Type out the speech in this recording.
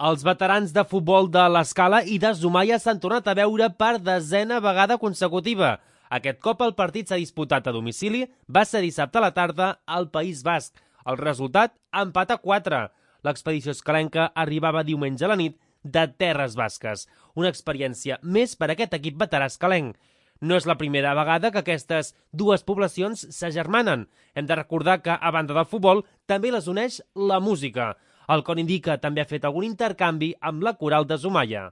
Els veterans de futbol de l'Escala i de Zumaia s'han tornat a veure per desena vegada consecutiva. Aquest cop el partit s'ha disputat a domicili, va ser dissabte a la tarda al País Basc. El resultat, empat a 4. L'expedició escalenca arribava diumenge a la nit de Terres Basques. Una experiència més per a aquest equip veterà escalenc. No és la primera vegada que aquestes dues poblacions s'agermanen. Hem de recordar que, a banda del futbol, també les uneix la música. El Cor Indica també ha fet algun intercanvi amb la Coral de Zumaia.